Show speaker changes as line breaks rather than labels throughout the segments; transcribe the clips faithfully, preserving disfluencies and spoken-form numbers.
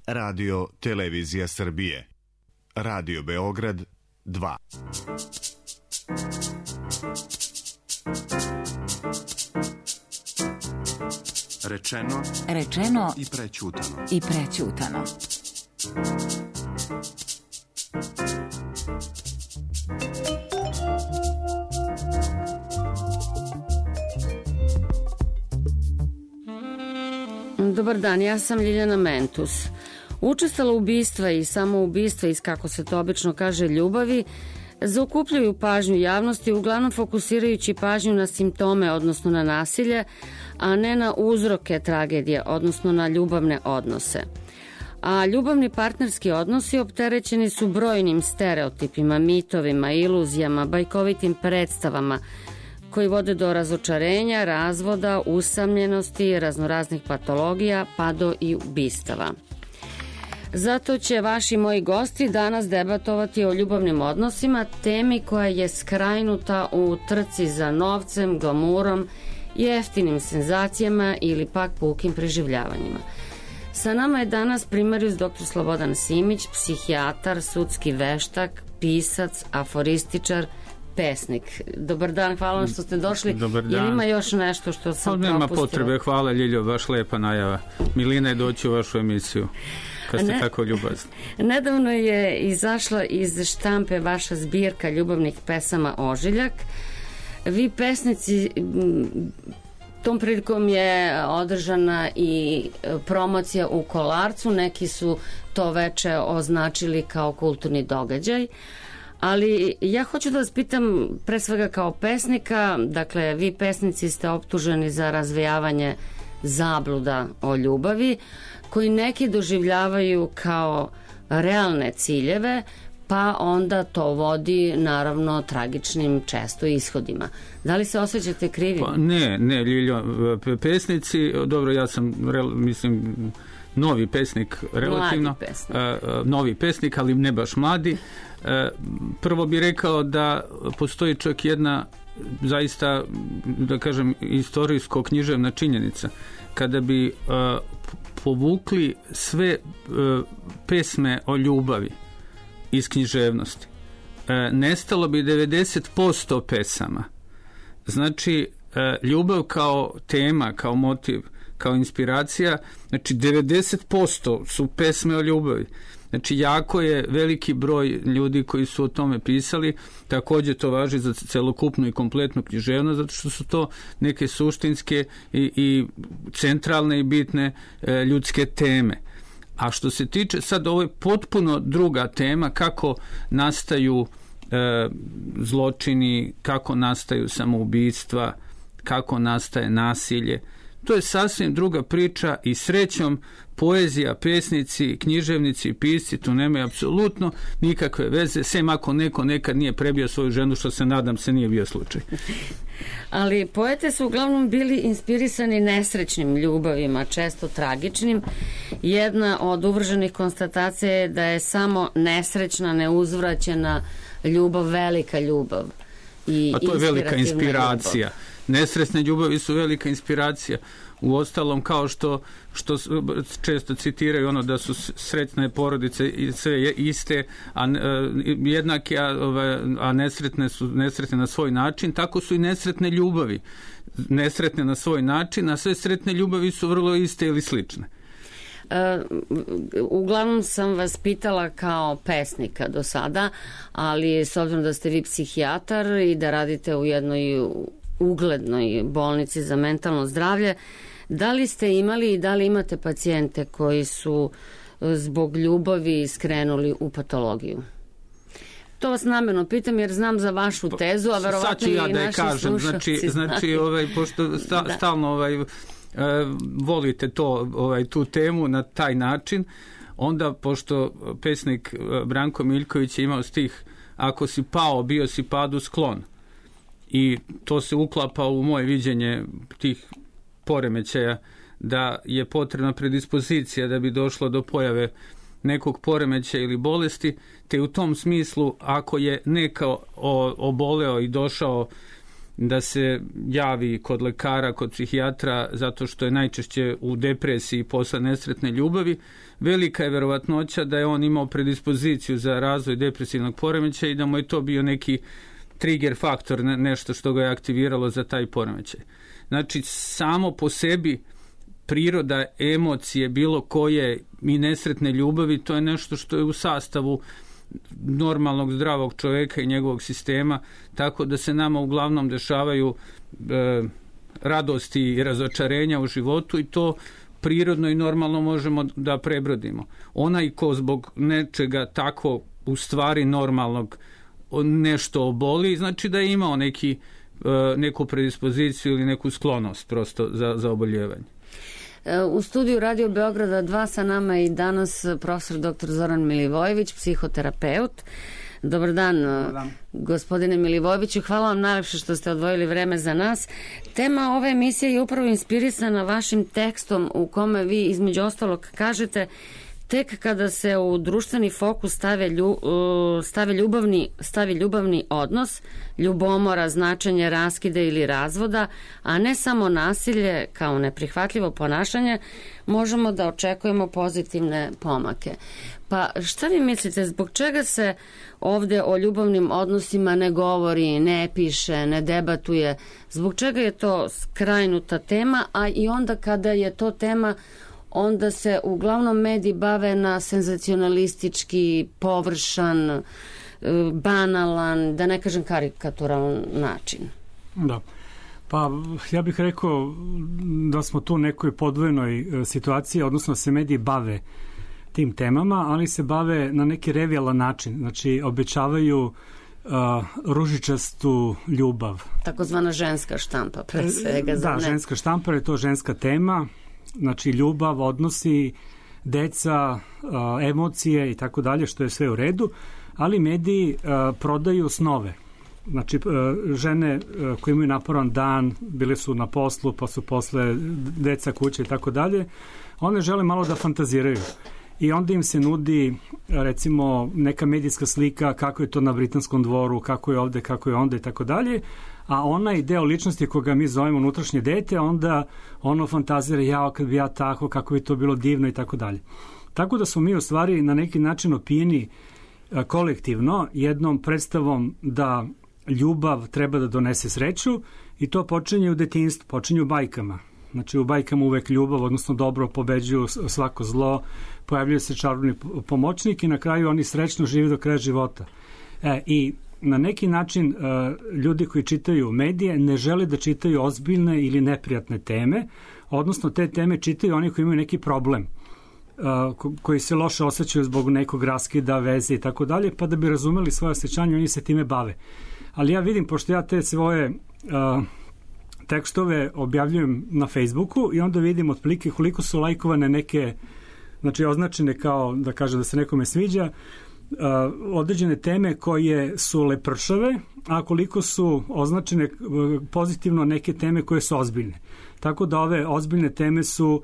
Radio Televizija Srbije. Radio Beograd dva.
Rečeno,
Rečeno
i prećutano.
I prećutano.
Dobar dan, ja sam Ljiljana Mentus. Učestala ubistva i samoubistva iz, kako se to obično kaže, ljubavi, zaokupljaju pažnju javnosti, uglavnom fokusirajući pažnju na simptome, odnosno na nasilje, a ne na uzroke tragedije, odnosno na ljubavne odnose. A ljubavni partnerski odnosi opterećeni su brojnim stereotipima, mitovima, iluzijama, bajkovitim predstavama koji vode do razočarenja, razvoda, usamljenosti, raznoraznih patologija, pa do i ubistava. Zato će vaši moji gosti danas debatovati o ljubavnim odnosima, temi koja je skrajnuta u trci za novcem, glamurom, jeftinim senzacijama ili pak pukim preživljavanjima. Sa nama je danas primarius doktor Slobodan Simić, psihijatar, sudski veštak, pisac, aforističar, pesnik. Dobar dan, hvala vam što ste došli.
Dobar dan.
Jel ima još nešto što sam
pa,
propustila?
Nema potrebe, hvala Ljiljo, baš lepa najava. Milina je doći u vašu emisiju, kad ste ne, tako ljubazni.
Nedavno je izašla iz štampe vaša zbirka ljubavnih pesama Ožiljak. Vi pesnici, tom prilikom je održana i promocija u Kolarcu, neki su to veče označili kao kulturni događaj. Ali ja hoću da vas pitam, pre svega kao pesnika, dakle vi pesnici ste optuženi za razvijavanje zabluda o ljubavi, koji neki doživljavaju kao realne ciljeve, pa onda to vodi naravno tragičnim često ishodima. Da li se osjećate krivim?
Pa ne, ne, Ljiljo, pesnici, dobro, ja sam, mislim, novi pesnik, relativno.
Mladi pesnik.
Uh, novi pesnik, ali ne baš mladi. Uh, prvo bih rekao da postoji čak jedna zaista, da kažem, istorijsko-književna činjenica. Kada bi uh, povukli sve uh, pesme o ljubavi iz književnosti, uh, nestalo bi devedeset posto pesama. Znači, uh, ljubav kao tema, kao motiv, kao inspiracija, znači devedeset posto su pesme o ljubavi. Znači, jako je veliki broj ljudi koji su o tome pisali, također to važi za celokupnu i kompletnu književnost, zato što su to neke suštinske i, i centralne i bitne e, ljudske teme. A što se tiče, sad ovo je potpuno druga tema, kako nastaju e, zločini, kako nastaju samoubistva, kako nastaje nasilje. To je sasvim druga priča i srećom poezija, pesnici, književnici i pisci tu nemaju apsolutno nikakve veze, sem ako neko nekad nije prebio svoju ženu, što se nadam se nije bio slučaj.
Ali poete su uglavnom bili inspirisani nesrećnim ljubavima, često tragičnim. Jedna od uvrženih konstatacija je da je samo nesrećna, neuzvraćena ljubav velika ljubav. I
a to je velika inspiracija.
Ljubav.
Nesretne ljubavi su velika inspiracija. U ostalom, kao što, što često citiraju ono da su sretne porodice sve iste, a jednake, a, a nesretne su nesretne na svoj način, tako su i nesretne ljubavi. Nesretne na svoj način, a sve sretne ljubavi su vrlo iste ili slične.
Uh, uglavnom sam vas pitala kao pesnika do sada, ali s obzirom da ste vi psihijatar i da radite u jednoj uglednoj bolnici za mentalno zdravlje, da li ste imali i da li imate pacijente koji su zbog ljubavi skrenuli u patologiju? To vas namjerno pitam jer znam za vašu tezu, a verovatno
ja
i
da je
naši
kažem,
slušalci
znači, znači ovaj, pošto sta, da. stalno ovaj, uh, volite to, ovaj, tu temu na taj način, onda pošto pesnik Branko Miljković je imao stih ako si pao, bio si padu sklon. I to se uklapa u moje viđenje tih poremećaja, da je potrebna predispozicija da bi došlo do pojave nekog poremećaja ili bolesti, te u tom smislu ako je neko oboleo i došao da se javi kod lekara, kod psihijatra, zato što je najčešće u depresiji posle nesretne ljubavi, velika je verovatnoća da je on imao predispoziciju za razvoj depresivnog poremećaja i da mu je to bio neki trigger faktor, nešto što ga je aktiviralo za taj poremećaj. Znači, samo po sebi priroda emocije bilo koje i nesretne ljubavi, to je nešto što je u sastavu normalnog zdravog čoveka i njegovog sistema, tako da se nama uglavnom dešavaju e, radosti i razočarenja u životu i to prirodno i normalno možemo da prebrodimo. Onaj ko zbog nečega tako u stvari normalnog nešto oboli, znači da je imao neki, e, neku predispoziciju ili neku sklonost prosto za, za oboljevanje.
U studiju Radio Beograda dva sa nama i danas profesor doktor Zoran Milivojević, psihoterapeut. Dobar dan, Dobar dan, gospodine Milivojeviću. Hvala vam najlepše što ste odvojili vreme za nas. Tema ove emisije je upravo inspirisana vašim tekstom u kome vi između ostalog kažete: tek kada se u društveni fokus stave, lju, stave ljubavni, stavi ljubavni odnos, ljubomora, značenje raskida ili razvoda, a ne samo nasilje kao neprihvatljivo ponašanje, možemo da očekujemo pozitivne pomake. Pa šta vi mislite, zbog čega se ovde o ljubavnim odnosima ne govori, ne piše, ne debatuje? Zbog čega je to skrajnuta tema, a i onda kada je to tema, onda se uglavnom mediji bave na senzacionalistički, površan, banalan, da ne kažem karikaturalan način.
Da. Pa ja bih rekao da smo tu u nekoj podvojenoj situaciji, odnosno da se mediji bave tim temama, ali se bave na neki revijalan način. Znači, obećavaju uh, ružičastu ljubav.
Takozvana ženska štampa, pre svega.
Da,
ne? ženska
štampa je to ženska tema. Znači, ljubav, odnosi, deca, emocije i tako dalje, što je sve u redu, ali mediji prodaju snove. Znači, žene koje imaju naporan dan, bile su na poslu, pa su posle deca, kuće i tako dalje, one žele malo da fantaziraju. I onda im se nudi, recimo, neka medijska slika kako je to na britanskom dvoru, kako je ovde, kako je onda i tako dalje, a onaj deo ličnosti koga mi zovemo unutrašnje dete, onda ono fantazira, jao, kad bi ja tako, kako bi to bilo divno i tako dalje. Tako da smo mi u stvari na neki način opijeni kolektivno jednom predstavom da ljubav treba da donese sreću i to počinje u detinjstvu, počinje u bajkama. Znači, u bajkama uvek ljubav, odnosno dobro, pobeđuju svako zlo, pojavljaju se čarobni pomoćnik i na kraju oni srećno žive do kraja života. E, i na neki način ljudi koji čitaju medije ne žele da čitaju ozbiljne ili neprijatne teme, odnosno te teme čitaju oni koji imaju neki problem, koji se loše osjećaju zbog nekog raskida, veze i tako dalje, pa da bi razumeli svoje osjećanje, oni se time bave. Ali ja vidim, pošto ja te svoje tekstove objavljujem na Facebooku i onda vidim otprilike koliko su lajkovane neke, znači označene kao da kažem da se nekome sviđa, Uh, određene teme koje su lepršave, a koliko su označene uh, pozitivno neke teme koje su ozbiljne. Tako da ove ozbiljne teme su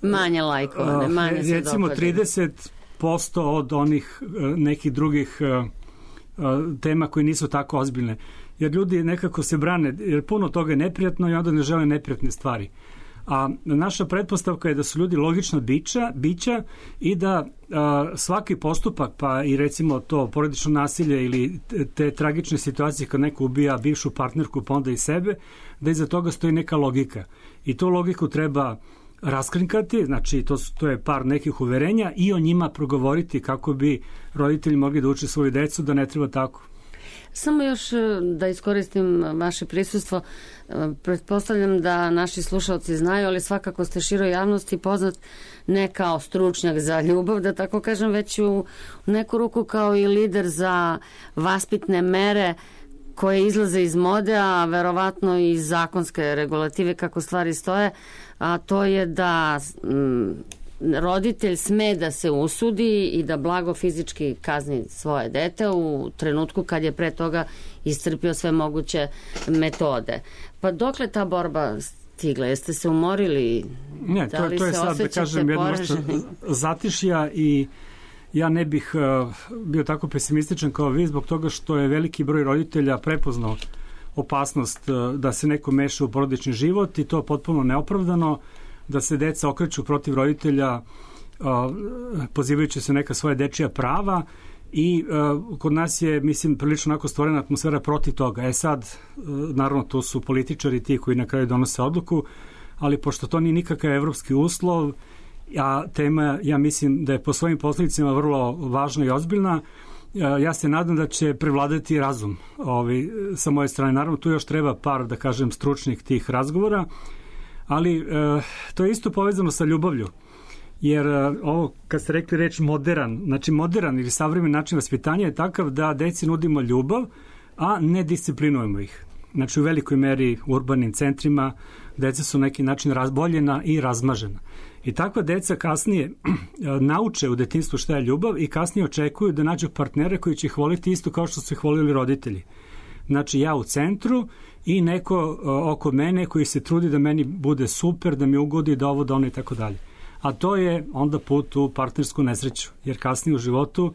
manje lajkovane, uh, manje se
recimo dopadaju. trideset posto od onih uh, nekih drugih uh, uh, tema koje nisu tako ozbiljne. Jer ljudi nekako se brane, jer puno toga je neprijatno i onda ne žele neprijatne stvari. A naša pretpostavka je da su ljudi logična bića, bića i da a, svaki postupak, pa i recimo to porodično nasilje ili te, te tragične situacije kad neko ubija bivšu partnerku pa onda i sebe, da iza toga stoji neka logika. I tu logiku treba raskrinkati, znači to, to je par nekih uverenja i o njima progovoriti kako bi roditelji mogli da uče svoju decu da ne treba tako.
Samo još da iskoristim vaše prisustvo, pretpostavljam da naši slušalci znaju, ali svakako ste široj javnosti poznat ne kao stručnjak za ljubav, da tako kažem, već u neku ruku kao i lider za vaspitne mere koje izlaze iz mode, a verovatno i zakonske regulative kako stvari stoje, a to je da mm, roditelj sme da se usudi i da blago fizički kazni svoje dete u trenutku kad je pre toga iscrpio sve moguće metode. Pa dokle ta borba stigla? Jeste se umorili?
Ne, to,
da
to je sad, da kažem, jedno zatišja i ja ne bih uh, bio tako pesimističan kao vi zbog toga što je veliki broj roditelja prepoznao opasnost da se neko meša u porodični život i to potpuno neopravdano, da se deca okreću protiv roditelja pozivajući se neka svoja dečija prava i uh, kod nas je, mislim, prilično onako stvorena atmosfera protiv toga. E sad, uh, naravno, to su političari ti koji na kraju donose odluku, ali pošto to nije nikakav evropski uslov, a tema, ja mislim da je po svojim posledicama vrlo važna i ozbiljna, uh, ja se nadam da će prevladati razum ovi, sa moje strane. Naravno, tu još treba par, da kažem, stručnih tih razgovora, ali uh, to je isto povezano sa ljubavlju. Jer ovo, kad ste rekli reč modern, znači modern ili savremen način vaspitanja je takav da deci nudimo ljubav, a ne disciplinujemo ih. Znači u velikoj meri u urbanim centrima deca su na neki način razboljena i razmažena. I takva deca kasnije nauče u detinjstvu šta je ljubav i kasnije očekuju da nađu partnere koji će ih voliti isto kao što su ih volili roditelji. Znači ja u centru i neko oko mene koji se trudi da meni bude super, da mi ugodi, da ovo, da ono i tako dalje. A to je onda put u partnersku nesreću, jer kasnije u životu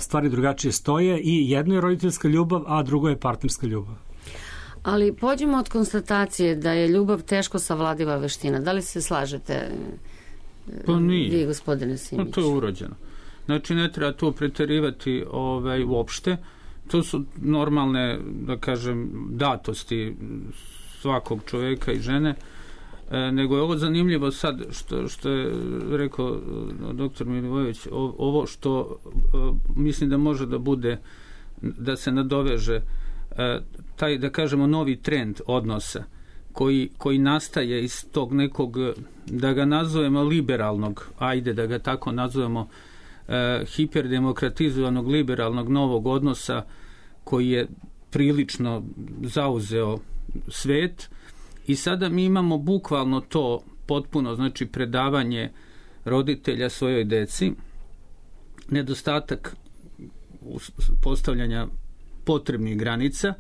stvari drugačije stoje i jedno je roditeljska ljubav, a drugo je partnerska ljubav.
Ali pođemo od konstatacije da je ljubav teško savladiva veština. Da li se slažete
pa nije.
Vi, gospodine Simić?
Pa to je urođeno. Znači ne treba to preterivati ovaj, uopšte. To su normalne, da kažem, datosti svakog čoveka i žene. E, nego je ovo zanimljivo sad što, što je rekao doktor Milivojević, ovo što e, mislim da može da bude, da se nadoveže e, taj, da kažemo, novi trend odnosa koji, koji nastaje iz tog nekog, da ga nazovemo liberalnog, ajde da ga tako nazovemo, e, hiperdemokratizovanog liberalnog novog odnosa koji je prilično zauzeo svet. I sada mi imamo bukvalno to potpuno, znači predavanje roditelja svojoj deci, nedostatak postavljanja potrebnih granica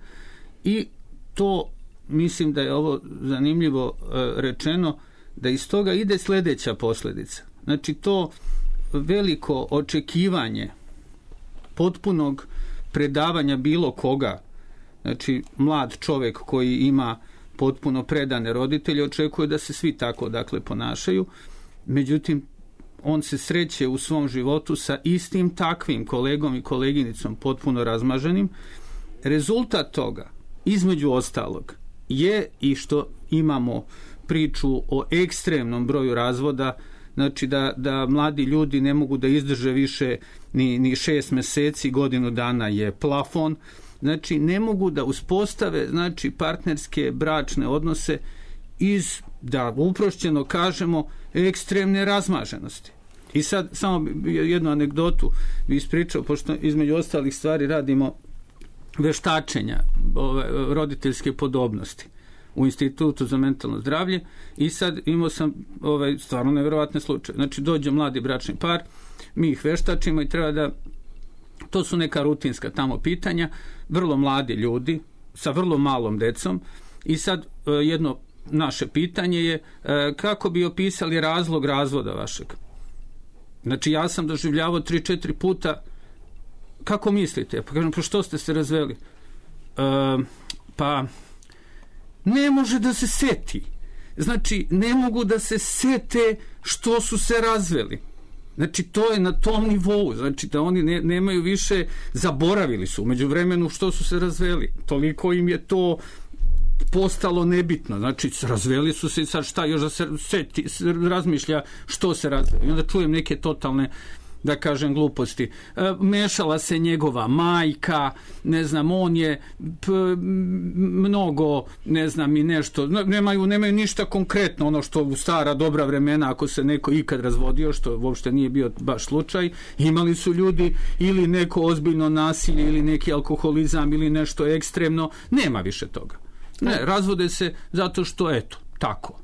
i to, mislim da je ovo zanimljivo rečeno, da iz toga ide sljedeća posljedica. Znači to veliko očekivanje potpunog predavanja bilo koga, znači mlad čovjek koji ima potpuno predane roditelje, očekuje da se svi tako dakle ponašaju, međutim on se sreće u svom životu sa istim takvim kolegom i koleginicom potpuno razmaženim. Rezultat toga, između ostalog, je i što imamo priču o ekstremnom broju razvoda, znači da, da mladi ljudi ne mogu da izdrže više ni, ni šest meseci, godinu dana je plafon. Znači, ne mogu da uspostave, znači, partnerske bračne odnose iz, da uprošćeno kažemo, ekstremne razmaženosti. I sad, samo jednu anegdotu bi ispričao, pošto između ostalih stvari radimo veštačenja ove, roditeljske podobnosti u Institutu za mentalno zdravlje i sad imao sam ovaj, stvarno nevjerovatne slučaje. Znači, dođe mladi bračni par, mi ih veštačimo i treba da, to su neka rutinska tamo pitanja, vrlo mladi ljudi sa vrlo malom decom i sad jedno naše pitanje je kako bi opisali razlog razvoda vašeg. Znači ja sam doživljavao tri četiri puta, kako mislite? Pa kažem, pa što ste se razveli? E, pa ne može da se seti. Znači ne mogu da se sete što su se razveli. Znači, to je na tom nivou, znači da oni ne, nemaju više, zaboravili su umeđu vremenu što su se razveli. Toliko im je to postalo nebitno. Znači, razveli su se i sad šta još da se seti, razmišlja što se razveli. I onda čujem neke totalne, da kažem, gluposti. E, mešala se njegova majka, ne znam, on je p, mnogo, ne znam, i nešto, nemaju, nemaju ništa konkretno, ono što u stara dobra vremena, ako se neko ikad razvodio, što uopšte nije bio baš slučaj, imali su ljudi ili neko ozbiljno nasilje, ili neki alkoholizam, ili nešto ekstremno, nema više toga. Ne, razvode se zato što, eto, tako.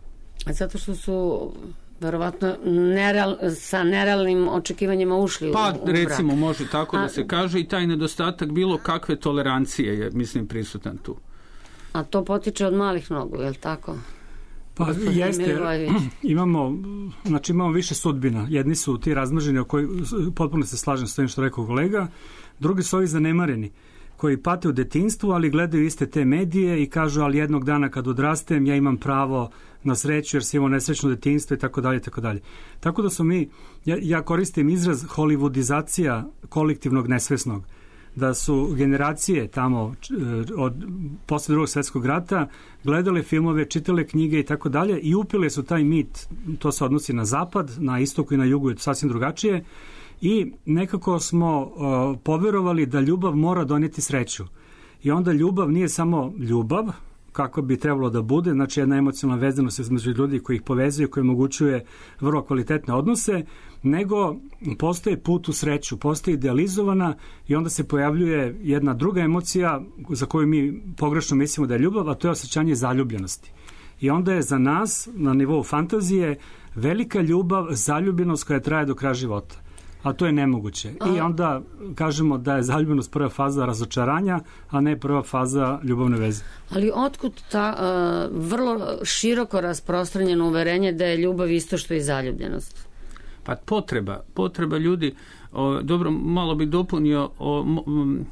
Zato što su verovatno nereal, sa nerealnim očekivanjima ušli
pa,
u, u
recimo,
brak.
može tako a, da se kaže i taj nedostatak bilo kakve tolerancije je, mislim, prisutan tu.
A to potiče od malih nogu, je li tako?
Pa jeste, imamo, znači imamo više sudbina. Jedni su ti razmrženi, o koji potpuno se slažem s tim što rekao kolega, drugi su ovi zanemareni, koji pate u detinjstvu, ali gledaju iste te medije i kažu, ali jednog dana kad odrastem ja imam pravo na sreću jer sam imao nesrećno detinjstvo i tako dalje, tako dalje. Tako da su mi, ja, ja koristim izraz hollywoodizacija kolektivnog nesvesnog, da su generacije tamo od posle drugog svjetskog rata gledale filmove, čitale knjige i tako dalje i upile su taj mit, to se odnosi na zapad, na istoku i na jugu je sasvim drugačije, i nekako smo uh, poverovali da ljubav mora donijeti sreću. I onda ljubav nije samo ljubav, kako bi trebalo da bude, znači jedna emocionalna vezanost između ljudi koji ih povezuje, koji omogućuje vrlo kvalitetne odnose, nego postoji put u sreću, postoji idealizovana i onda se pojavljuje jedna druga emocija za koju mi pogrešno mislimo da je ljubav, a to je osjećanje zaljubljenosti. I onda je za nas, na nivou fantazije, velika ljubav, zaljubljenost koja traje do kraja života. A to je nemoguće. I onda kažemo da je zaljubljenost prva faza razočaranja, a ne prva faza ljubavne veze.
Ali otkud ta uh, vrlo široko rasprostranjeno uverenje da je ljubav isto što i zaljubljenost?
Pa potreba, potreba ljudi, o, dobro, malo bi dopunio o, m,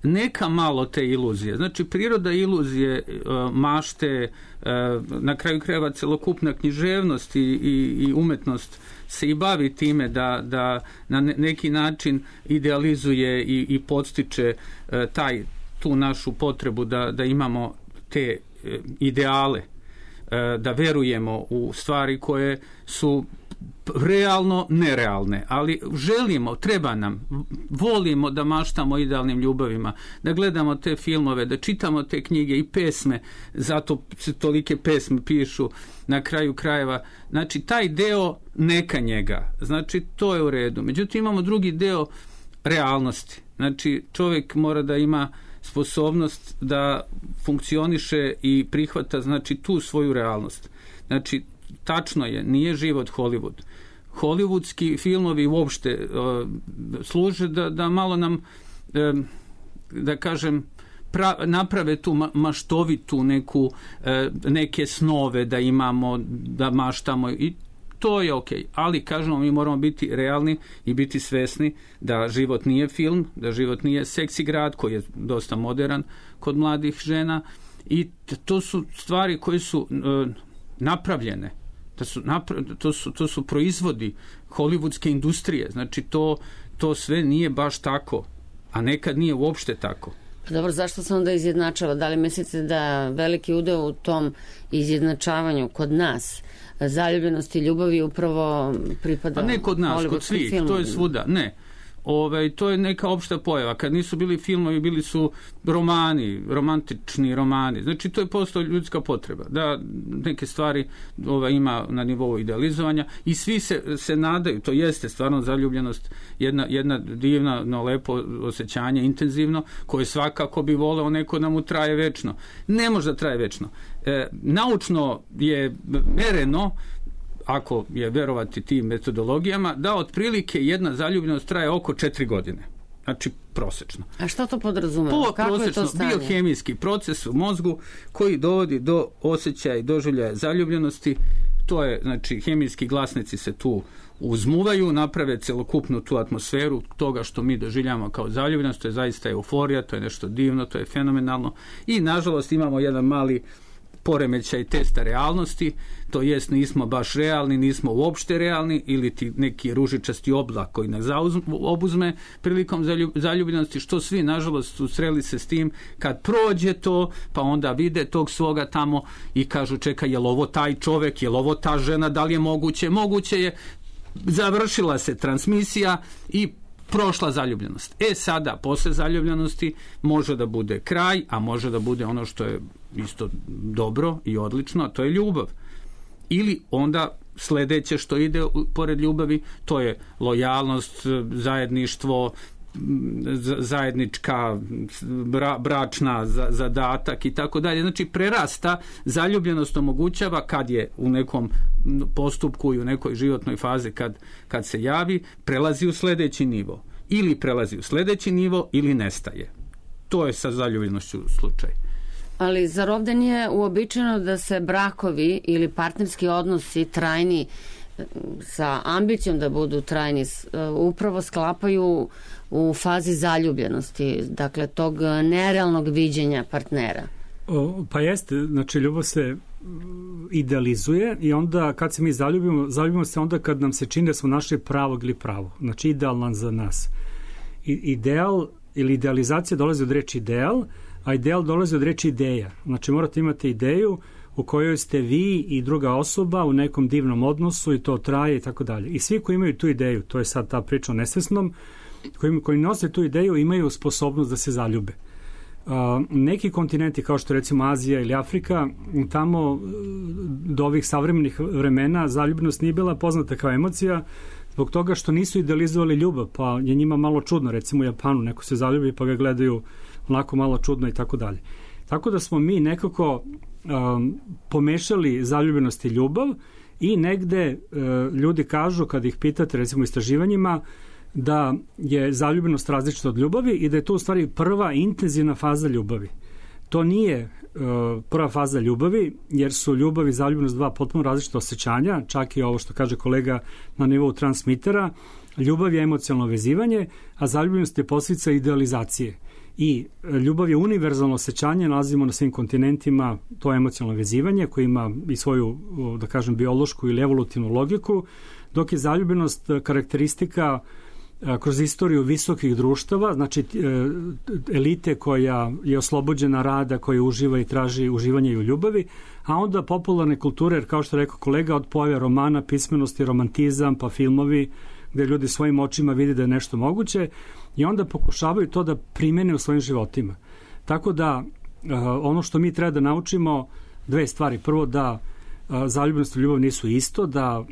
neka malo te iluzije. Znači, priroda iluzije, o, mašte, o, na kraju krajeva celokupna književnost i, i, i umetnost se i bavi time da, da na neki način idealizuje i, i podstiče e, taj, tu našu potrebu da, da imamo te e, ideale, e, da verujemo u stvari koje su realno nerealne, ali želimo, treba nam, volimo da maštamo idealnim ljubavima, da gledamo te filmove, da čitamo te knjige i pesme, zato se tolike pesme pišu na kraju krajeva. Znači, taj deo neka njega, znači, to je u redu. Međutim, imamo drugi deo realnosti. Znači, čovjek mora da ima sposobnost da funkcioniše i prihvata, znači, tu svoju realnost. Znači, tačno je, nije život Hollywood. Hollywoodski filmovi uopšte uh, služe da, da malo nam, uh, da kažem, pra, naprave tu ma, maštovitu neku, uh, neke snove da imamo, da maštamo i to je okej. Ali, kažemo, mi moramo biti realni i biti svesni da život nije film, da život nije seksi grad koji je dosta modern kod mladih žena i to su stvari koje su uh, napravljene. To su, to, su, to su proizvodi hollywoodske industrije. Znači, to, to sve nije baš tako, a nekad nije uopšte tako.
Dobro, zašto se onda izjednačava? Da li mislite da veliki udeo u tom izjednačavanju kod nas, zaljubljenosti i ljubavi upravo pripada...
A ne kod nas, kod svih, filmu. To je svuda, ne. Ove, to je neka opšta pojava. Kad nisu bili filmovi, bili su romani, romantični romani. Znači, to je postala ljudska potreba. Da neke stvari ova, ima na nivou idealizovanja i svi se, se nadaju, to jeste stvarno zaljubljenost, jedna, jedna divna, no, lepo osjećanje, intenzivno, koje svakako bi voleo neko da mu traje večno. Ne može da traje večno. E, naučno je mereno, ako je verovati tim metodologijama, da otprilike jedna zaljubljenost traje oko četiri godine. Znači, prosečno.
A što to podrazumeva? Kako je to stanje?
Biohemijski proces u mozgu koji dovodi do osjećaja i doživljaja zaljubljenosti. To je, znači, hemijski glasnici se tu uzmuvaju, naprave celokupnu tu atmosferu toga što mi doživljamo kao zaljubljenost. To je zaista euforija, to je nešto divno, to je fenomenalno. I, nažalost, imamo jedan mali poremećaj testa realnosti, to jest nismo baš realni, nismo uopšte realni ili ti neki ružičasti oblak koji nas obuzme prilikom zaljubljenosti, što svi nažalost susreli se s tim kad prođe to, pa onda vide tog svoga tamo i kažu čekaj, je li ovo taj čovek, je li ovo ta žena, da li je moguće? Moguće je, završila se transmisija i prošla zaljubljenost. E sada, posle zaljubljenosti može da bude kraj, a može da bude ono što je isto dobro i odlično, a to je ljubav. Ili onda sledeće što ide pored ljubavi, to je lojalnost, zajedništvo, zajednička bra, bračna zadatak i tako dalje. Znači, prerasta, zaljubljenost omogućava kad je u nekom postupku i u nekoj životnoj fazi kad, kad se javi, prelazi u sledeći nivo. Ili prelazi u sledeći nivo ili nestaje. To je sa zaljubljenošću slučaj.
Ali zar ovde nije uobičajeno da se brakovi ili partnerski odnosi trajni sa ambicijom da budu trajni upravo sklapaju u fazi zaljubljenosti, dakle tog nerealnog viđenja partnera.
O, pa jeste, znači ljubav se idealizuje i onda kad se mi zaljubimo, zaljubimo se onda kad nam se čini da smo našli pravog ili pravo, znači idealan za nas. I, ideal ili idealizacija dolazi od reči ideal, a ideal dolazi od reči ideja. Znači morate imati ideju u kojoj ste vi i druga osoba u nekom divnom odnosu i to traje i tako dalje. I svi koji imaju tu ideju, to je sad ta priča o nesvesnom, koji, koji nose tu ideju imaju sposobnost da se zaljube. Uh, neki kontinenti kao što recimo Azija ili Afrika, tamo do ovih savremenih vremena zaljubljenost nije bila poznata kao emocija zbog toga što nisu idealizovali ljubav, pa je njima malo čudno, recimo u Japanu neko se zaljubi pa ga gledaju onako malo čudno i tako dalje. Tako da smo mi nekako um, pomešali zaljubljenost i ljubav i negde uh, ljudi kažu kad ih pitate recimo u istraživanjima da je zaljubljenost različita od ljubavi i da je to u stvari prva intenzivna faza ljubavi. To nije uh, prva faza ljubavi, jer su ljubav i zaljubljenost dva potpuno različita osjećanja, čak i ovo što kaže kolega na nivou transmitera. Ljubav je emocionalno vezivanje, a zaljubljenost je posljedica idealizacije. I ljubav je univerzalno osjećanje, nalazimo na svim kontinentima to emocionalno vezivanje koje ima i svoju, da kažem, biološku ili evolutivnu logiku, dok je zaljubljenost karakteristika kroz istoriju visokih društava, znači elite koja je oslobođena rada, koja uživa i traži uživanje i u ljubavi, a onda popularne kulture, jer kao što rekao kolega, od pojave romana, pismenosti, romantizam, pa filmovi, gde ljudi svojim očima vide da je nešto moguće i onda pokušavaju to da primene u svojim životima. Tako da ono što mi treba da naučimo, dve stvari. Prvo, da zaljubljenost i ljubav nisu isto, da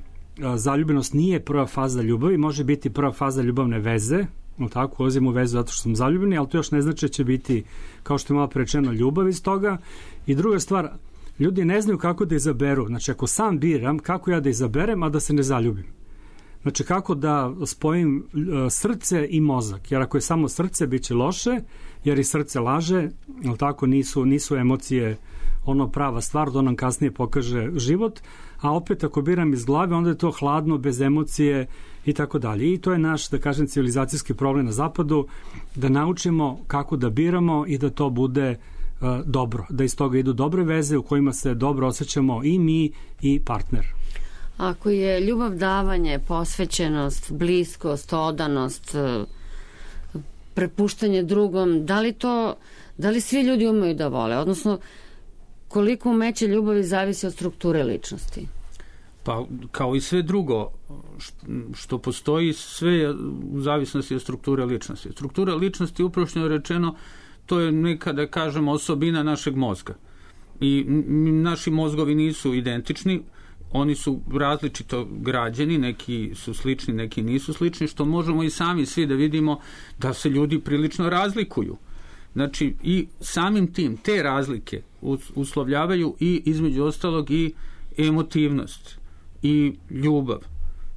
zaljubljenost nije prva faza ljubavi, može biti prva faza ljubavne veze, no tako, ulazimo u vezu zato što smo zaljubljeni, ali to još ne znači da će biti, kao što je malo prečeno, ljubav iz toga. I druga stvar, ljudi ne znaju kako da izaberu. Znači, ako sam biram, kako ja da izaberem, a da se ne zaljubim. Znači, kako da spojim srce i mozak, jer ako je samo srce, bit će loše, jer i srce laže, ali tako nisu, nisu emocije ono prava stvar, da nam kasnije pokaže život, a opet ako biram iz glave, onda je to hladno, bez emocije i tako dalje. I to je naš, da kažem, civilizacijski problem na zapadu, da naučimo kako da biramo i da to bude uh, dobro, da iz toga idu dobre veze u kojima se dobro osjećamo i mi i partner.
Ako je ljubav davanje, posvećenost, bliskost, odanost, prepuštanje drugom, da li to, da li svi ljudi umeju da vole? Odnosno, koliko umeće ljubavi zavisi od strukture ličnosti?
Pa, kao i sve drugo što postoji, sve je u zavisnosti od strukture ličnosti. Struktura ličnosti, uprošćeno rečeno, to je neka, da kažemo, osobina našeg mozga. I naši mozgovi nisu identični, oni su različito građeni, neki su slični, neki nisu slični, što možemo i sami svi da vidimo da se ljudi prilično razlikuju. Znači, i samim tim te razlike uslovljavaju i, između ostalog, i emotivnost i ljubav.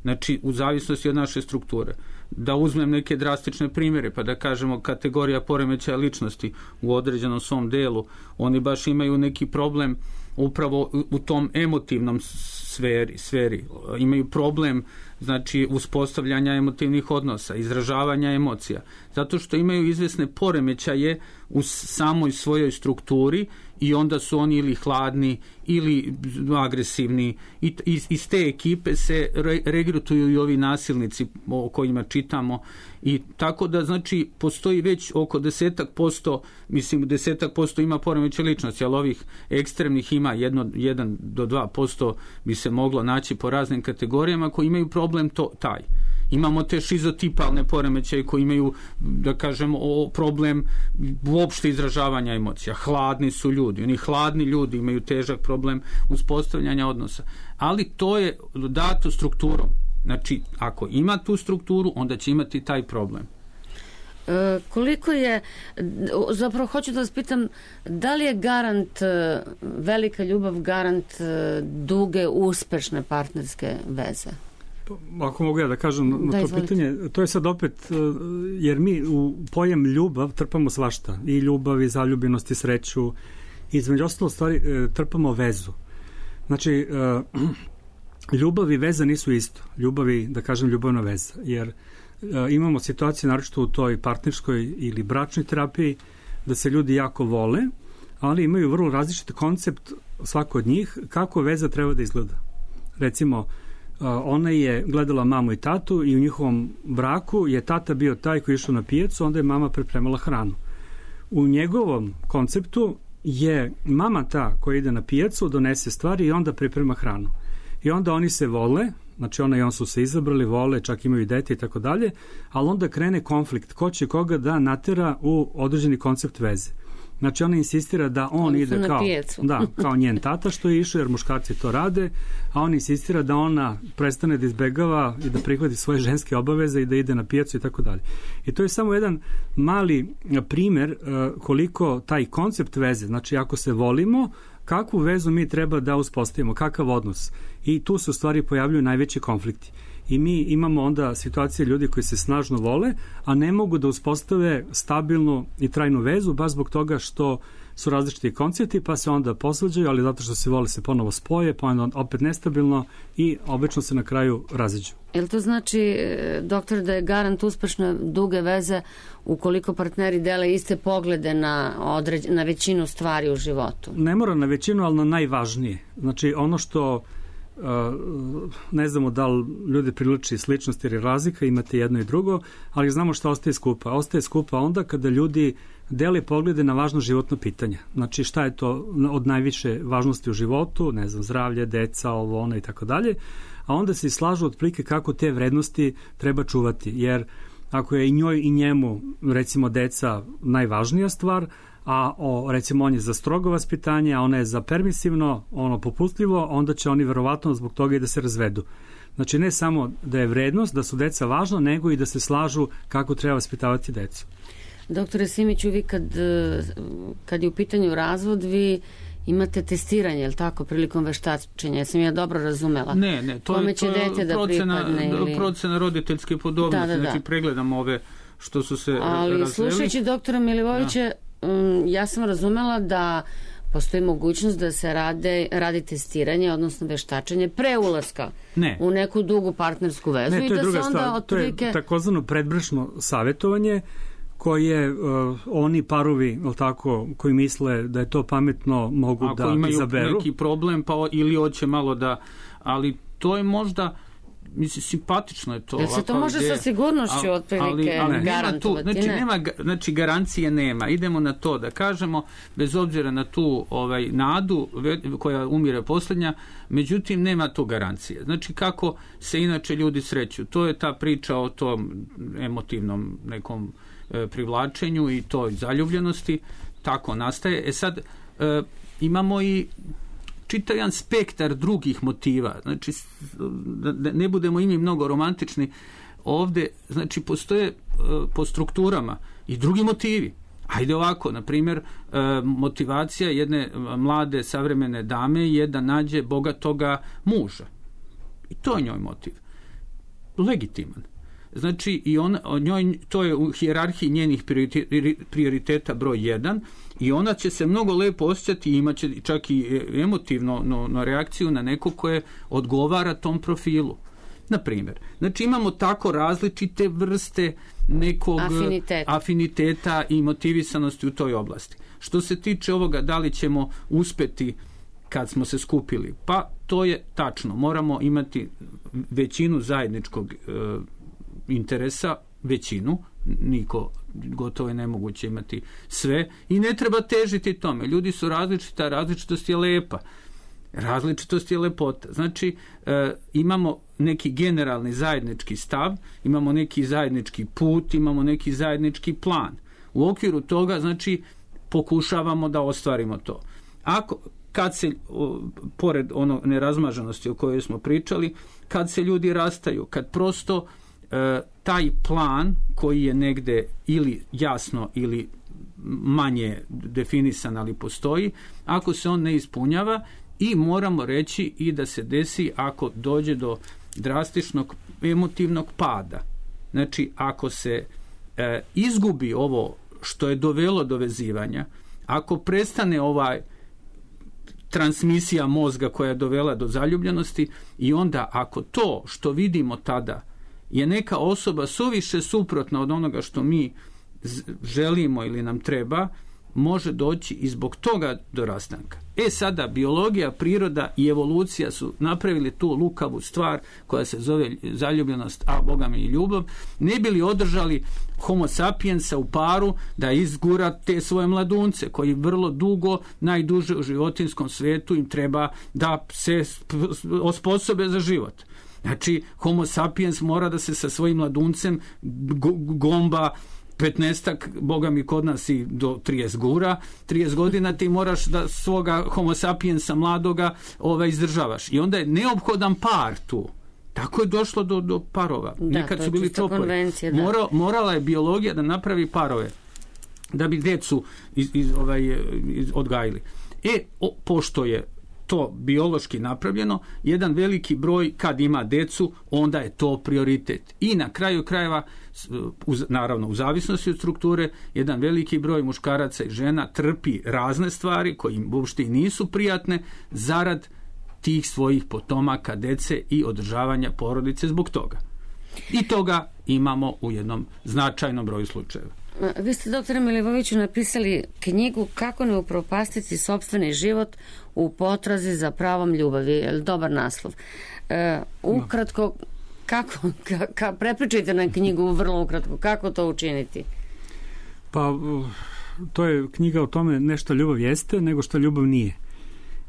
Znači, u zavisnosti od naše strukture. Da uzmem neke drastične primjere, pa da kažemo kategorija poremećaja ličnosti u određenom svom delu, oni baš imaju neki problem upravo u tom emotivnom sferi, sferi. Imaju problem, znači, uspostavljanja emotivnih odnosa, izražavanja emocija, zato što imaju izvesne poremećaje u samoj svojoj strukturi i onda su oni ili hladni ili agresivni i iz te ekipe se regrutuju i ovi nasilnici o kojima čitamo i tako da, znači, postoji već oko desetak posto, mislim desetak posto ima poremećaj ličnosti, ali ovih ekstremnih ima jedno, jedan do dva posto bi se moglo naći po raznim kategorijama koji imaju problem to, taj. Imamo te šizotipalne poremećaje koji imaju, da kažemo, problem uopšte izražavanja emocija. Hladni su ljudi. Oni hladni ljudi imaju težak problem uspostavljanja odnosa. Ali to je dato strukturom. Znači, ako ima tu strukturu, onda će imati taj problem.
E, koliko je, zapravo hoću da vas pitam, da li je garant, velika ljubav, garant duge, uspešne partnerske veze?
Ako mogu ja da kažem na da, to izvolite. Pitanje, to je sad opet, jer mi u pojam ljubav trpamo svašta, i ljubav, i zaljubljenost, i sreću, i između ostalo stvari trpamo vezu. Znači, ljubav i veza nisu isto. Ljubav i, da kažem, ljubavna veza. Jer e, imamo situacije, naročito u toj partnerskoj ili bračnoj terapiji, da se ljudi jako vole, ali imaju vrlo različit koncept svako od njih kako veza treba da izgleda. Recimo, ona je gledala mamu i tatu i u njihovom braku je tata bio taj koji je išao na pijacu, onda je mama pripremala hranu. U njegovom konceptu je mama ta koja ide na pijacu, donese stvari i onda priprema hranu. I onda oni se vole, znači ona i on su se izabrali, vole, čak imaju i dete i tako dalje, ali onda krene konflikt, ko će koga da natera u određeni koncept veze. Znači ona insistira da on
Oni
ide kao, da, kao njen tata što je išao, jer muškarci to rade, a on insistira da ona prestane da izbegava i da prihvati svoje ženske obaveze i da ide na pijacu i tako dalje. I to je samo jedan mali primer uh, koliko taj koncept veze, znači ako se volimo, kakvu vezu mi treba da uspostavimo, kakav odnos. I tu se u stvari pojavljuju najveći konflikti. I mi imamo onda situacije ljudi koji se snažno vole, a ne mogu da uspostave stabilnu i trajnu vezu, baš zbog toga što su različiti koncepti, pa se onda posvađaju, ali zato što se vole se ponovo spoje, pa onda opet nestabilno i obično se na kraju raziđu.
Jel to znači, doktor, da je garant uspešne duge veze ukoliko partneri dele iste poglede na, određ, na većinu stvari u životu?
Ne mora na većinu, ali na najvažnije. Znači ono što Uh, ne znamo da li ljudi priliči sličnosti ili razlika, imate jedno i drugo, ali znamo šta ostaje skupa. Ostaje skupa onda kada ljudi dele poglede na važno životno pitanje. Znači šta je to od najviše važnosti u životu, ne znam, zdravlje, deca, ovo, ono i tako dalje, a onda se slažu otprilike kako te vrednosti treba čuvati, jer ako je i njoj i njemu, recimo, deca najvažnija stvar, a o, recimo on je za strogo vaspitanje, a ona je za permisivno, ono popustljivo, onda će oni verovatno zbog toga i da se razvedu. Znači ne samo da je vrednost, da su deca važna, nego i da se slažu kako treba vaspitavati decu.
Doktore Simiću, vi kad, kad je u pitanju razvod, vi imate testiranje, je li tako, prilikom veštačenja? Ja sam ja dobro razumela.
Ne, ne, to je, to je
da
procena,
ili...
procena roditeljske podobnosti,
da, da, da.
Znači pregledam ove što su se
ali
razveli.
Slušajući doktora Milivojevića, um, ja sam razumela da postoji mogućnost da se rade, radi testiranje, odnosno veštačenje pre ulaska
ne.
u neku dugu partnersku vezu.
Ne, to je
i da
druga
se onda
stvar.
otprilike...
To je takozvano predbračno savjetovanje koje uh, oni parovi, tako, koji misle da je to pametno, mogu
Ako
da
imaju
izaberu.
Ako neki problem, pa ili hoće malo da... Ali to je možda... Mislim, simpatično je to.
Jel se to može ideja, sa sigurnošću al, otprilike ali, ali garantovati?
Tu, znači,
ne?
nema, znači, garancije nema. Idemo na to da kažemo, bez obzira na tu ovaj, nadu koja umire posljednja, međutim, nema tu garancije. Znači, kako se inače ljudi sreću? To je ta priča o tom emotivnom nekom e, privlačenju i toj zaljubljenosti. Tako nastaje. E sad, e, imamo i čitav jedan spektar drugih motiva. Znači, da ne budemo i mi mnogo romantični, ovdje, znači, postoje po strukturama i drugi motivi. Ajde ovako, na primjer, motivacija jedne mlade savremene dame je da nađe bogatoga muža. I to je njoj motiv. Legitiman. Znači, i on, njoj, to je u hijerarhiji njenih prioriteta broj jedan i ona će se mnogo lepo osjećati i imaće čak i emotivno no, no reakciju na neko koje odgovara tom profilu. Na primjer, znači imamo tako različite vrste nekog
Afinitet.
afiniteta i motivisanosti u toj oblasti. Što se tiče ovoga, da li ćemo uspeti kad smo se skupili? Pa to je tačno. Moramo imati većinu zajedničkog e, interesa, većinu, niko, gotovo je nemoguće imati sve i ne treba težiti tome. Ljudi su različita, različitost je lepa. Različitost je lepota. Znači, e, imamo neki generalni zajednički stav, imamo neki zajednički put, imamo neki zajednički plan. U okviru toga, znači, pokušavamo da ostvarimo to. Ako, kad se, o, pored ono nerazmaženosti o kojoj smo pričali, kad se ljudi rastaju, kad prosto e, taj plan koji je negde ili jasno ili manje definisan, ali postoji, ako se on ne ispunjava, i moramo reći i da se desi ako dođe do drastičnog emotivnog pada. Znači, ako se e, izgubi ovo što je dovelo do vezivanja, ako prestane ovaj transmisija mozga koja je dovela do zaljubljenosti, i onda ako to što vidimo tada je neka osoba suviše suprotna od onoga što mi želimo ili nam treba, može doći i zbog toga do rastanka. E sada, biologija, priroda i evolucija su napravili tu lukavu stvar koja se zove zaljubljenost, a Boga mi i ljubav, ne bi li održali homo sapiensa u paru da izgura te svoje mladunce koji vrlo dugo, najduže u životinjskom svetu im treba da se osposobe za život. Znači, homo sapiens mora da se sa svojim mladuncem gomba petnaestak, Boga mi kod nas i do trideset gura, trideset godina ti moraš da svoga homo sapiensa mladoga ovaj, izdržavaš. I onda je neophodan par tu. Tako je došlo do, do parova.
Da,
nekad su bili čopori. Mora, morala je biologija da napravi parove da bi decu iz, iz, ovaj, iz, odgajili. E, o, pošto je to biološki napravljeno, jedan veliki broj kad ima decu, onda je to prioritet. I na kraju krajeva, uz, naravno u zavisnosti od strukture, jedan veliki broj muškaraca i žena trpi razne stvari koje im uopšte nisu prijatne zarad tih svojih potomaka, dece i održavanja porodice zbog toga. I toga imamo u jednom značajnom broju slučajeva.
Vi ste, doktore Milivojeviću, napisali knjigu Kako ne upropastiti sopstveni život u potrazi za pravom ljubavi. Je li dobar naslov? E, ukratko, kako, ka, ka, prepričajte nam knjigu vrlo ukratko, kako to učiniti?
Pa, to je knjiga o tome ne što ljubav jeste, nego što ljubav nije.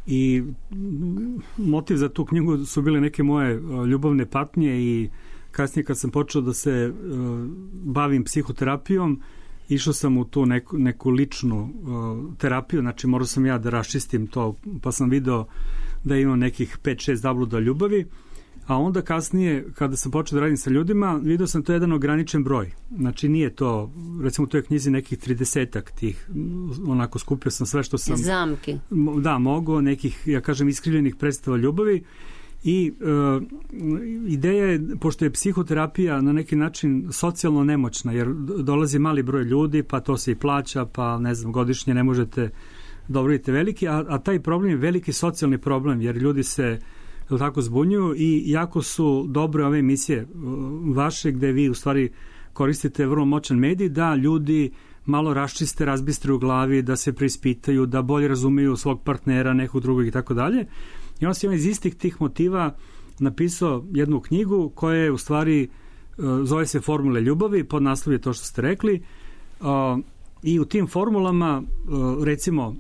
I motiv za tu knjigu su bile neke moje ljubavne patnje i kasnije kad sam počeo da se uh, bavim psihoterapijom, išao sam u tu neku, neku ličnu uh, terapiju, znači morao sam ja da raščistim to, pa sam video da imam nekih pet šest zabluda ljubavi, a onda kasnije kada sam počeo da radim sa ljudima, video sam to jedan ograničen broj. Znači nije to, recimo u toj knjizi nekih tridesetak tih, onako skupio sam sve što sam...
Zamki.
Da, mogo, nekih, ja kažem, iskrivljenih predstava ljubavi. I e, ideja je, pošto je psihoterapija na neki način socijalno nemoćna, jer dolazi mali broj ljudi, pa to se i plaća, pa ne znam, godišnje ne možete da obradite veliki, a, a taj problem je veliki socijalni problem, jer ljudi se tako zbunjuju i jako su dobre ove emisije vaše, gde vi u stvari koristite vrlo moćan medij, da ljudi malo raščiste, razbistre u glavi, da se preispitaju, da bolje razumeju svog partnera, nekog drugog i tako dalje. I on se iz istih tih motiva napisao jednu knjigu koja je u stvari, zove se Formule ljubavi, pod naslov je to što ste rekli, i u tim formulama, recimo,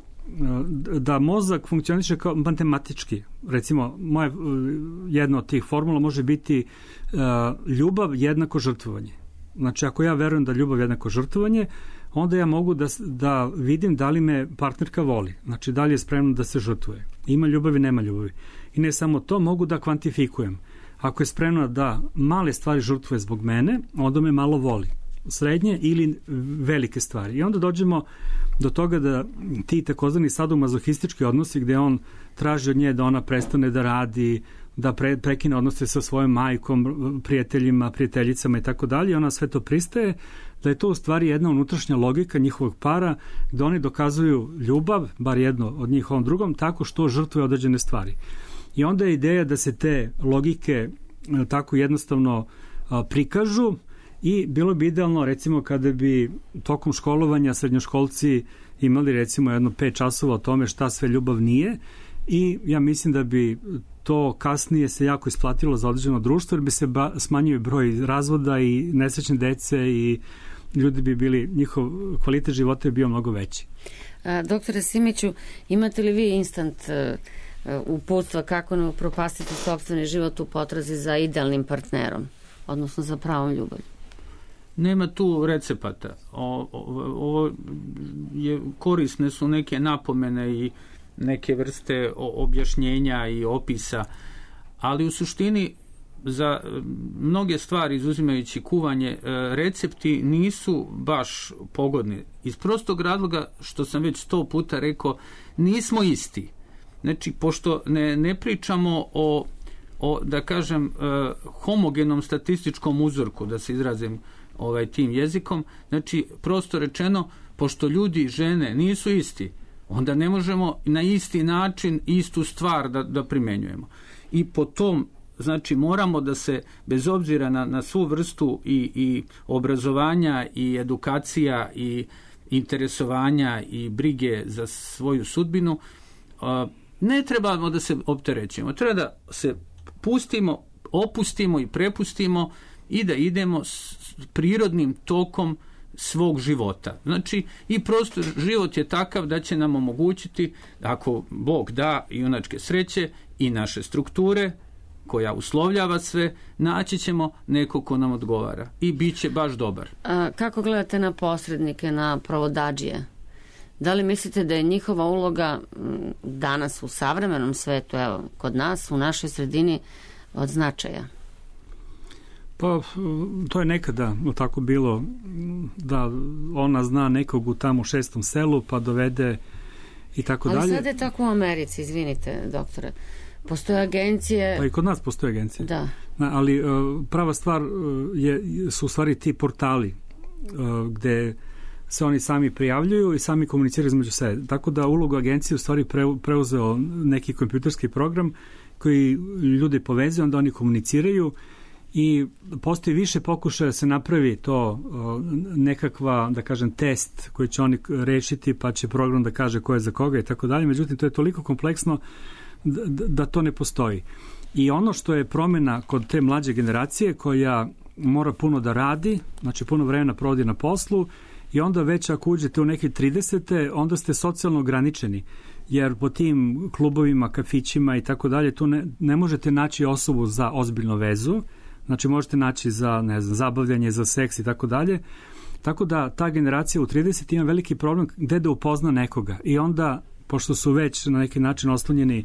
da mozak funkcioniše kao matematički. Recimo, moje, jedna od tih formula može biti ljubav jednako žrtvovanje. Znači, ako ja verujem da ljubav jednako žrtvovanje, onda ja mogu da, da vidim da li me partnerka voli. Znači, da li je spremno da se žrtvuje. Ima ljubavi, nema ljubavi. I ne samo to, mogu da kvantifikujem. Ako je spremna da male stvari žrtvuje zbog mene, onda me malo voli. Srednje ili velike stvari. I onda dođemo do toga da ti takozvani sadomazohistički odnosi gde on traži od nje da ona prestane da radi, da pre, prekine odnose sa svojom majkom, prijateljima, prijateljicama i tako dalje, ona sve to pristaje, da je to u stvari jedna unutrašnja logika njihovog para, da oni dokazuju ljubav, bar jedno od njih ovom drugom, tako što žrtvuje određene stvari. I onda je ideja da se te logike tako jednostavno a, prikažu i bilo bi idealno, recimo, kada bi tokom školovanja srednjoškolci imali, recimo, jedno pet časova o tome šta sve ljubav nije, i ja mislim da bi to kasnije se jako isplatilo za određeno društvo, jer bi se ba, smanjio broj razvoda i nesrećne dece i ljudi bi bili, njihov kvalitet života je bio mnogo veći.
A, doktore Simiću, imate li vi instant uh, uputstva kako ne upropastiti sopstveni život u potrazi za idealnim partnerom, odnosno za pravom ljubavlju?
Nema tu recepata. O, o, ovo je, korisne su neke napomene i neke vrste objašnjenja i opisa, ali u suštini za mnoge stvari, izuzimajući kuvanje, recepti nisu baš pogodni. Iz prostog razloga, što sam već sto puta rekao, nismo isti. Znači, pošto ne, ne pričamo o, o, da kažem, homogenom statističkom uzorku, da se izrazim ovaj tim jezikom, znači, prosto rečeno, pošto ljudi i žene nisu isti, onda ne možemo na isti način istu stvar da, da primenjujemo. I po tom, znači, moramo da se, bez obzira na, na svu vrstu i, i obrazovanja i edukacija i interesovanja i brige za svoju sudbinu, ne trebamo da se opterećujemo. Treba da se pustimo, opustimo i prepustimo i da idemo s prirodnim tokom svog života. Znači, i prosto život je takav da će nam omogućiti, ako Bog da junačke sreće i naše strukture, koja uslovljava sve, naći ćemo neko ko nam odgovara i bit će baš dobar.
A kako gledate na posrednike, na provodadžije? Da li mislite da je njihova uloga danas u savremenom svetu, evo, kod nas, u našoj sredini, od značaja?
Pa, to je nekada tako bilo, da ona zna nekog u tamo šestom selu, pa dovede i tako dalje.
Ali sad je tako u Americi, izvinite, doktore. Postoje agencije...
Pa i kod nas postoje agencije.
Da.
Ali prava stvar je, su u stvari ti portali gde se oni sami prijavljuju i sami komuniciraju između sebe. Tako da ulogu agencije u stvari preuzeo neki kompjuterski program koji ljude povezuje, onda oni komuniciraju i postoji više pokušaja da se napravi to nekakva, da kažem, test koji će oni rešiti, pa će program da kaže ko je za koga i tako dalje. Međutim, to je toliko kompleksno da, da to ne postoji. I ono što je promjena kod te mlađe generacije koja mora puno da radi, znači puno vremena provodi na poslu, i onda već ako uđete u neke tridesete, onda ste socijalno ograničeni, jer po tim klubovima, kafićima i tako dalje, tu ne, ne možete naći osobu za ozbiljnu vezu, znači možete naći za, ne znam, zabavljanje, za seks i tako dalje. Tako da ta generacija u trideset ima veliki problem gde da upozna nekoga. I onda, pošto su već na neki način oslonjeni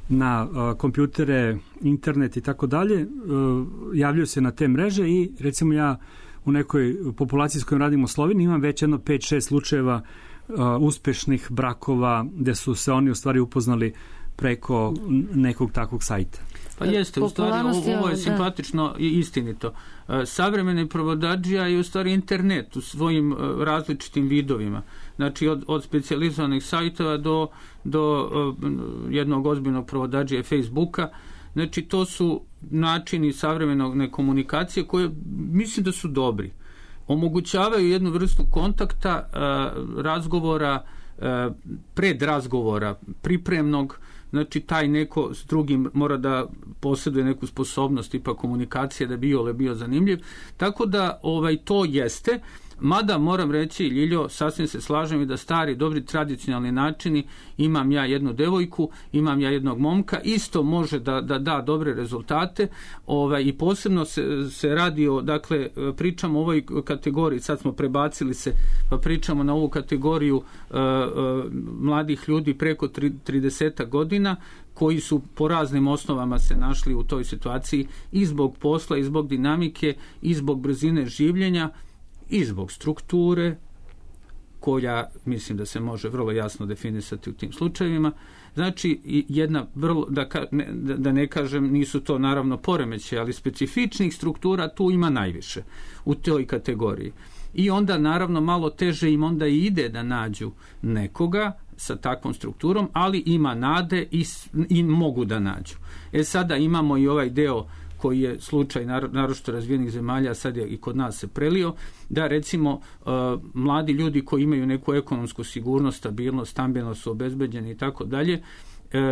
na uh, kompjutere, internet i tako dalje, uh, javljaju se na te mreže i recimo ja u nekoj populaciji s kojom radim u Sloveniji imam već jedno pet šest slučajeva uh, uspešnih brakova gde su se oni u stvari upoznali preko nekog takvog sajta.
Pa jeste, u stvari ovo je simpatično i istinito. Savremeni provodadžija je u stvari internet u svojim različitim vidovima. Znači od, od specijalizovanih sajtova do, do jednog ozbiljnog provodadžija Facebooka. Znači to su načini savremene komunikacije koje mislim da su dobri. Omogućavaju jednu vrstu kontakta, razgovora, predrazgovora, pripremnog. Znači, taj neko s drugim mora da posjeduje neku sposobnost tipa komunikacije da bi iole bio zanimljiv. Tako da ovaj to jeste. Mada moram reći, Ljiljo, sasvim se slažem i da stari, dobri, tradicionalni načini, imam ja jednu devojku, imam ja jednog momka, isto može da da, da dobre rezultate, ovaj, i posebno se, se radi o, dakle, pričamo o ovoj kategoriji, sad smo prebacili se, pa pričamo na ovu kategoriju uh, uh, mladih ljudi preko trideset godina, koji su po raznim osnovama se našli u toj situaciji i zbog posla, i zbog dinamike, i zbog brzine življenja, i zbog strukture, koja mislim da se može vrlo jasno definisati u tim slučajevima. Znači, jedna vrlo, da, ne, da ne kažem, nisu to naravno poremeće, ali specifičnih struktura tu ima najviše u toj kategoriji. I onda naravno malo teže im onda i ide da nađu nekoga sa takvom strukturom, ali ima nade i, i mogu da nađu. E sada imamo i ovaj deo koji je slučaj naročito razvijenih zemalja, sad je i kod nas se prelio, da recimo uh, mladi ljudi koji imaju neku ekonomsku sigurnost, stabilnost, stambeno su obezbeđeni i tako dalje,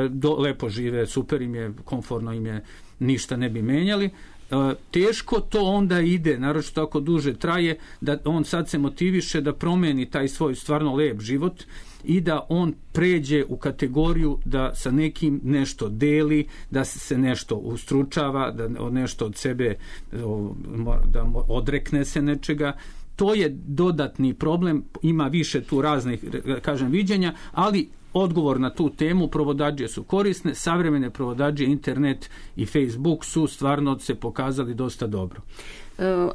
do, lepo žive, super im je, komfortno im je, ništa ne bi menjali. Uh, teško to onda ide, naročito ako duže traje, da on sad se motiviše da promeni taj svoj stvarno lep život i da on pređe u kategoriju da sa nekim nešto deli, da se nešto ustručava, da nešto od sebe, da odrekne se nečega. To je dodatni problem, ima više tu raznih, kažem, viđenja, ali odgovor na tu temu, provodadžije su korisne, savremene provodadžije, internet i Facebook su stvarno se pokazali dosta dobro.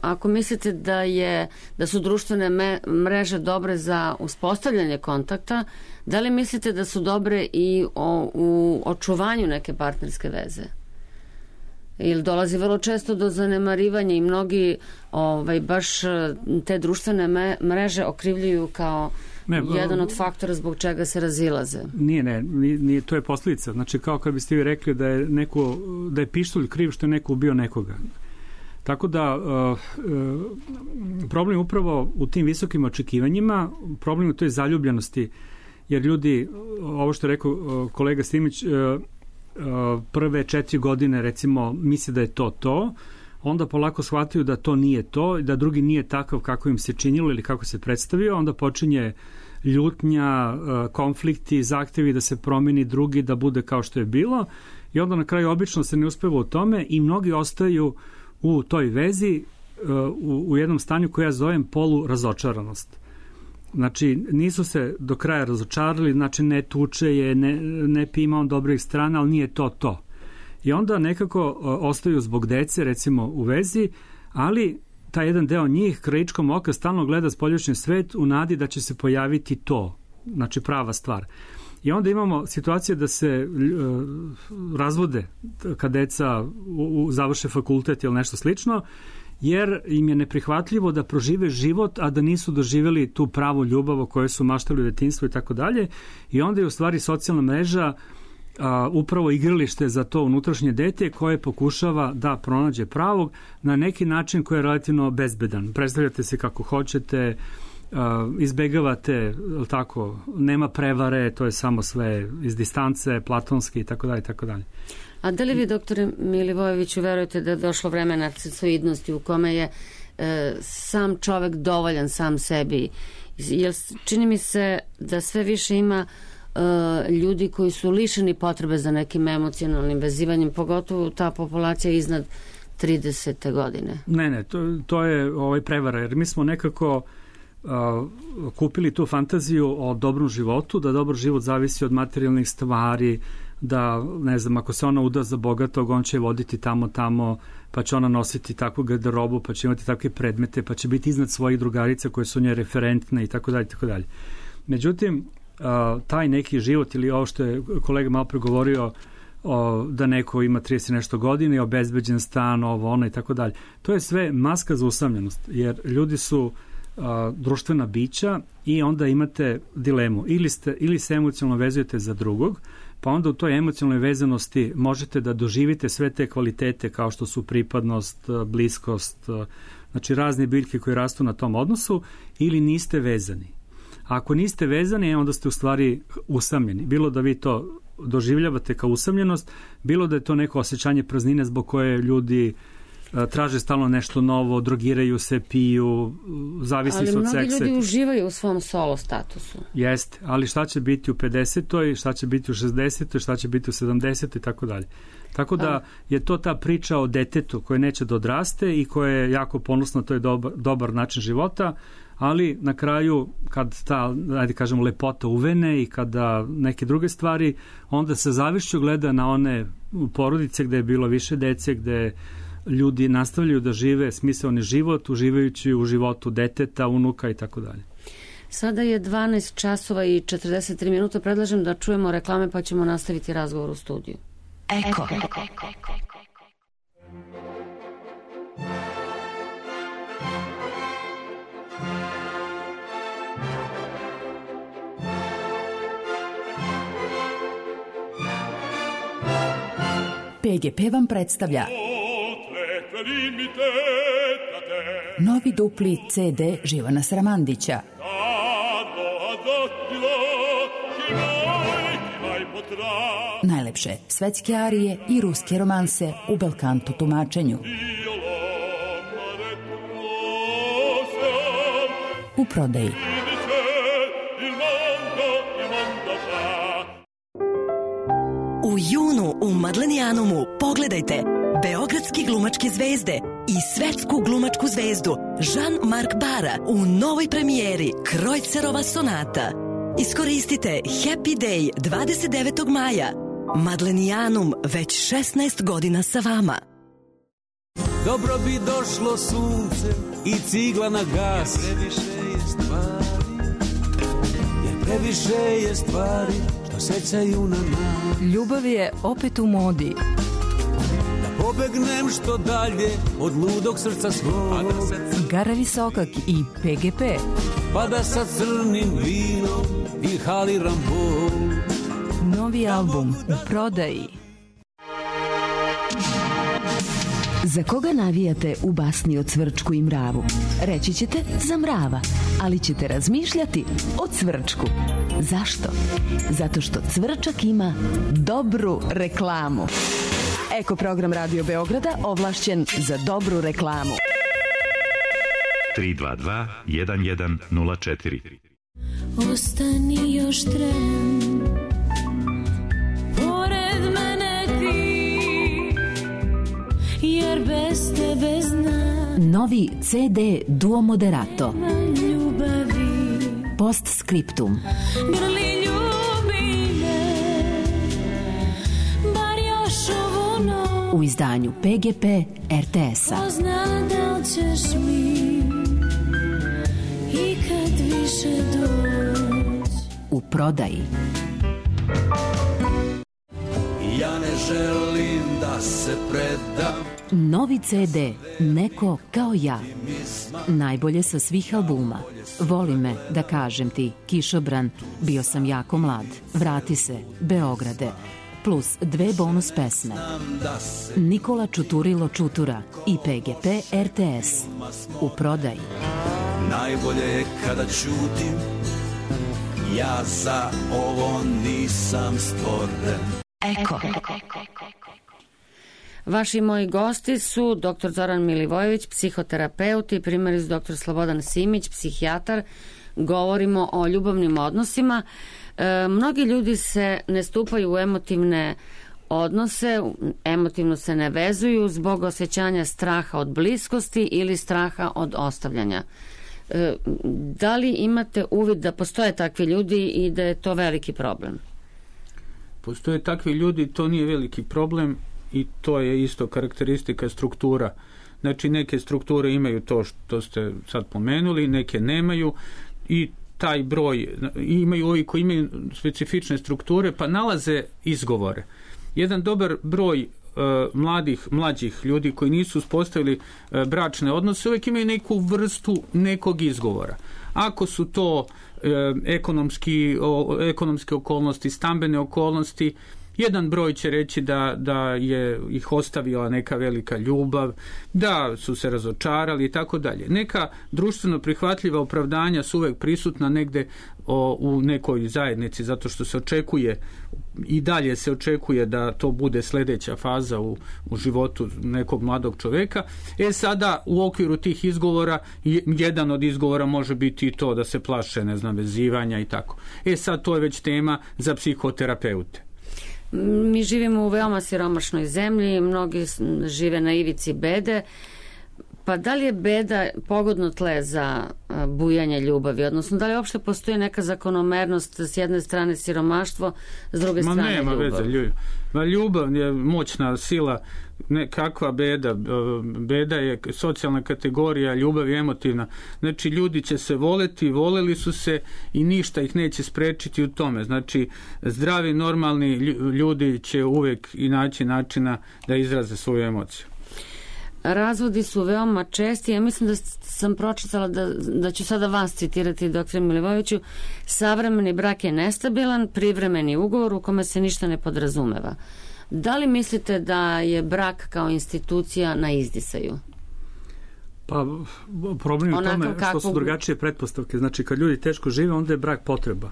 Ako mislite da je da su društvene me, mreže dobre za uspostavljanje kontakta, da li mislite da su dobre i o, u očuvanju neke partnerske veze? Ili dolazi vrlo često do zanemarivanja i mnogi ovaj, baš te društvene me, mreže okrivljuju kao
ne,
jedan od faktora zbog čega se razilaze.
Nije, ne, nije, to je posljedica. Znači, kao kad biste vi rekli da je, neko, da je pištolj kriv što je neko ubio nekoga. Tako da uh, uh, problem upravo u tim visokim očekivanjima, problem u toj zaljubljenosti, jer ljudi, ovo što je rekao uh, kolega Stimić, uh, uh, prve četiri godine recimo misle da je to to, onda polako shvataju da to nije to, da drugi nije takav kako im se činilo ili kako se predstavio, onda počinje ljutnja, uh, konflikti, zahtevi da se promeni drugi, da bude kao što je bilo, i onda na kraju obično se ne uspeva u tome i mnogi ostaju u toj vezi u, u jednom stanju koje ja zovem polu razočaranost. Znači, nisu se do kraja razočarali, znači ne tuče je, ne, ne pima on dobrih strana, ali nije to to. I onda nekako ostaju zbog dece, recimo, u vezi, ali taj jedan deo njih krajičkom oka stalno gleda spoljašnji svet u nadi da će se pojaviti to, znači prava stvar. I onda imamo situacije da se uh, razvode kad deca u, u završe fakultet ili nešto slično, jer im je neprihvatljivo da prožive život, a da nisu doživjeli tu pravu ljubav o kojoj su maštali u detinjstvu i tako dalje. I onda je u stvari socijalna mreža a, upravo igralište za to unutrašnje dete koje pokušava da pronađe pravog na neki način koji je relativno bezbedan. Predstavljate se kako hoćete, a, izbegavate, tako, nema prevare, to je samo sve iz distance, platonski i tako dalje i tako dalje.
A da li vi, doktore Milivojeviću, verujete da je došlo vreme narcisoidnosti u kome je e, sam čovek dovoljan sam sebi? Jer čini mi se da sve više ima e, ljudi koji su lišeni potrebe za nekim emocionalnim vezivanjem, pogotovo ta populacija iznad tridesete godine.
Ne, ne, to, to je ovaj prevara, jer mi smo nekako uh, kupili tu fantaziju o dobrom životu, da dobar život zavisi od materijalnih stvari, da, ne znam, ako se ona uda za bogatog, on će voditi tamo, tamo, pa će ona nositi takvu garderobu, pa će imati takve predmete, pa će biti iznad svojih drugarica koje su nje referentne i tako dalje, tako dalje. Međutim, taj neki život, ili ovo što je kolega malo pregovorio, da neko ima trideset nešto godina i obezbeđen stan, ovo, ono i tako dalje, to je sve maska za usamljenost, jer ljudi su društvena bića i onda imate dilemu, ili, ste, ili se emocionalno vezujete za drugog, pa onda u toj emocionalnoj vezanosti možete da doživite sve te kvalitete kao što su pripadnost, bliskost, znači razne biljke koje rastu na tom odnosu, ili niste vezani. A ako niste vezani, onda ste u stvari usamljeni. Bilo da vi to doživljavate kao usamljenost, bilo da je to neko osjećanje praznine zbog koje ljudi traže stalno nešto novo, drogiraju se, piju, zavisi su od seksa.
Ali mnogi ljudi uživaju u svom solo statusu.
Jeste, ali šta će biti u pedesetoj, šta će biti u šezdesetoj, šta će biti u sedamdesetoj i tako dalje. Tako da je to ta priča o detetu koje neće da odraste i koje je jako ponosno, to je dobar, dobar način života, ali na kraju kad ta, ajde kažemo, lepota uvene i kada neke druge stvari, onda se zavišću gleda na one porodice gde je bilo više dece, gde ljudi nastavljaju da žive smisaoni život, uživajući u životu deteta, unuka i tako dalje.
Sada je dvanaest časova i četrdeset tri minuta. Predlažem da čujemo reklame pa ćemo nastaviti razgovor u studiju. Eko. Eko.
P G P vam predstavlja novi dupli C D Živana Sramandića. Najlepše svetske arije i ruske romanse u belkanto tumačenju. U prodaji.
U junu u Madlenijanumu pogledajte beogradski glumačke zvezde i svetsku glumačku zvezdu Jean-Marc Bara u novoj premijeri Krojcerova sonata. Iskoristite Happy Day dvadeset devetog maja. Madlenijanum već šesnaest godina sa vama.
Dobro bi došlo sunce i cigla na gas. Jer previše je stvari, jer previše je stvari što sećaju na nas.
Ljubav je opet u modi.
Da pobegnem što dalje od ludog srca svog.
Gara Visokak i P G P.
Pa da sa crnim vinom inhaliram bol.
Novi album u prodaji. Za koga navijate u basni o Cvrčku i mravu? Reći ćete za mrava, ali ćete razmišljati o Cvrčku. Zašto? Zato što Cvrčak ima dobru reklamu. Eko program Radio Beograda ovlašćen za dobru reklamu.
tri dva dva jedan jedan nula četiri.
Ostani još tren, pored mene ti, jer bez tebe znam.
Novi C D Duo Moderato.
Ljubavi.
Postscriptum.
Grli ljubi me, bar još ovu noć.
U izdanju P G P R T S-a.
Ko zna da li ćeš mi i kad više doć.
U prodaji.
Ja ne želim da se predam.
Novi C D Neko kao ja. Najbolje sa svih albuma. Voli me, da kažem ti, Kišobran, Bio sam jako mlad, Vrati se, Beograde, plus dve bonus pesme. Nikola Čuturilo Čutura i P G P R T S. U prodaji.
Najbolje je kada ćutim, ja za ovo nisam stvoren.
Eko.
Vaši moji gosti su doktor Zoran Milivojević, psihoterapeut, i primaris doktor Slobodan Simić, psihijatar. Govorimo o ljubavnim odnosima. E, mnogi ljudi se ne stupaju u emotivne odnose, emotivno se ne vezuju zbog osjećanja straha od bliskosti ili straha od ostavljanja. E, da li imate uvid da postoje takvi ljudi i da je to veliki problem?
Postoje takvi ljudi, to nije veliki problem i to je isto karakteristika struktura. Znači neke strukture imaju to što ste sad pomenuli, neke nemaju i taj broj, imaju ovi koji imaju specifične strukture pa nalaze izgovore. Jedan dobar broj e, mladih, mlađih ljudi koji nisu uspostavili e, bračne odnose uvijek imaju neku vrstu nekog izgovora. Ako su to e, ekonomski, o, ekonomske okolnosti, stambene okolnosti, jedan broj će reći da, da je ih ostavila neka velika ljubav, da su se razočarali i tako dalje. Neka društveno prihvatljiva opravdanja su uvek prisutna negde o, u nekoj zajednici, zato što se očekuje i dalje se očekuje da to bude sljedeća faza u, u životu nekog mladog čoveka. E sada u okviru tih izgovora, jedan od izgovora može biti i to da se plaše, ne znam, vezivanja i tako. E sad to je već tema za psihoterapeute.
Mi živimo u veoma siromašnoj zemlji, mnogi žive na ivici bede, pa da li je beda pogodno tle za bujanje ljubavi, odnosno da li uopšte postoji neka zakonomernost, s jedne strane siromaštvo, s druge
Ma
strane
nema
ljubav?
Veze, ljubav. Ma ljubav je moćna sila, ne, kakva beda, beda je socijalna kategorija, ljubav je emotivna. Znači ljudi će se voleti, voleli su se i ništa ih neće sprečiti u tome. Znači zdravi, normalni ljudi će uvijek i naći načina da izraze svoju emociju.
Razvodi su veoma česti. Ja mislim da sam pročitala da, da ću sada vas citirati, doktore Milivojeviću. Savremeni brak je nestabilan, privremeni ugovor u kome se ništa ne podrazumeva. Da li mislite da je brak kao institucija na izdisaju?
Pa problem je u tome što
kakvog...
su drugačije pretpostavke. Znači kad ljudi teško žive, onda je brak potreba.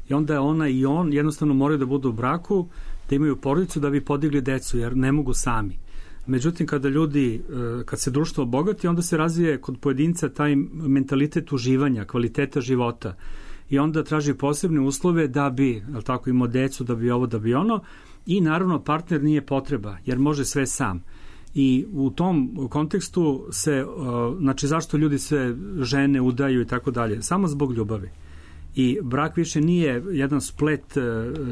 I onda je ona i on jednostavno moraju da budu u braku, da imaju porodicu da bi podigli decu, jer ne mogu sami. Međutim, kada ljudi, kad se društvo obogati, onda se razvije kod pojedinca taj mentalitet uživanja, kvaliteta života. I onda traži posebne uslove da bi, ali tako, imao decu, da bi ovo, da bi ono. I naravno partner nije potreba, jer može sve sam. I u tom kontekstu se, znači zašto ljudi se žene, udaju i tako dalje? Samo zbog ljubavi. I brak više nije jedan splet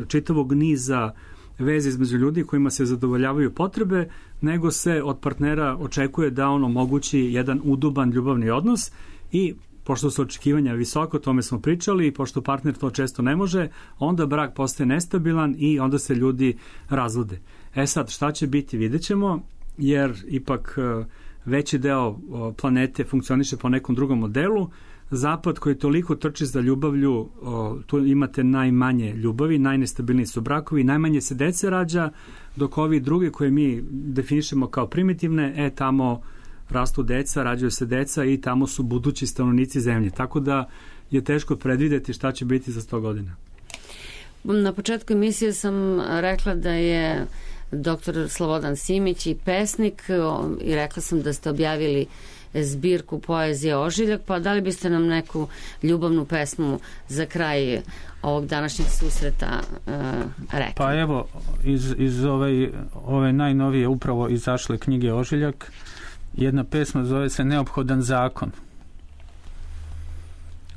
čitavog niza veze između ljudi kojima se zadovoljavaju potrebe, nego se od partnera očekuje da on omogući jedan uduban ljubavni odnos i pošto su očekivanja visoko, o tome smo pričali, i pošto partner to često ne može, onda brak postaje nestabilan i onda se ljudi razvode. E sad, šta će biti, vidjet ćemo. jer ipak veći deo planete funkcioniše po nekom drugom modelu. Zapad koji toliko trči za ljubavlju, tu imate najmanje ljubavi, najnestabilniji su brakovi, najmanje se dece rađa, dok ovi drugi koje mi definišemo kao primitivne, e tamo rastu deca, rađaju se deca i tamo su budući stanovnici zemlje. Tako da je teško predvideti šta će biti za sto godina.
Na početku emisije sam rekla da je doktor Slobodan Simić i pesnik i rekla sam da ste objavili zbirku poezije Ožiljak, pa da li biste nam neku ljubavnu pesmu za kraj ovog današnjeg susreta uh, rekli?
Pa evo, iz, iz ove, ove najnovije upravo izašle knjige Ožiljak, jedna pesma zove se Neophodan zakon.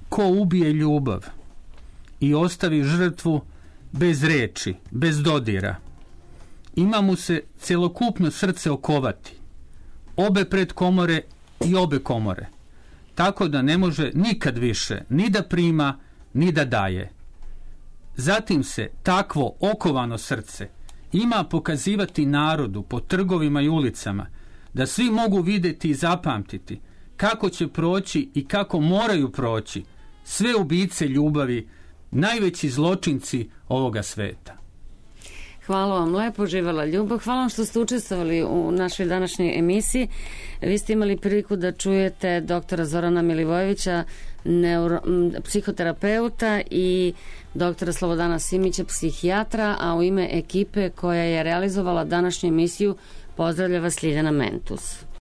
Ko ubije ljubav i ostavi žrtvu bez reči, bez dodira, ima mu se celokupno srce okovati, obe pred komore i obe komore, tako da ne može nikad više ni da prima, ni da daje. Zatim se takvo okovano srce ima pokazivati narodu po trgovima i ulicama, da svi mogu vidjeti i zapamtiti kako će proći i kako moraju proći sve ubice ljubavi, najveći zločinci ovoga sveta.
Hvala vam lepo, živela ljubav. Hvala vam što ste učestvovali u našoj današnjoj emisiji. Vi ste imali priliku da čujete doktora Zorana Milivojevića, neuro, psihoterapeuta, i doktora Slobodana Simića, psihijatra, a u ime ekipe koja je realizovala današnju emisiju pozdravlja vas Ljiljana Mentus.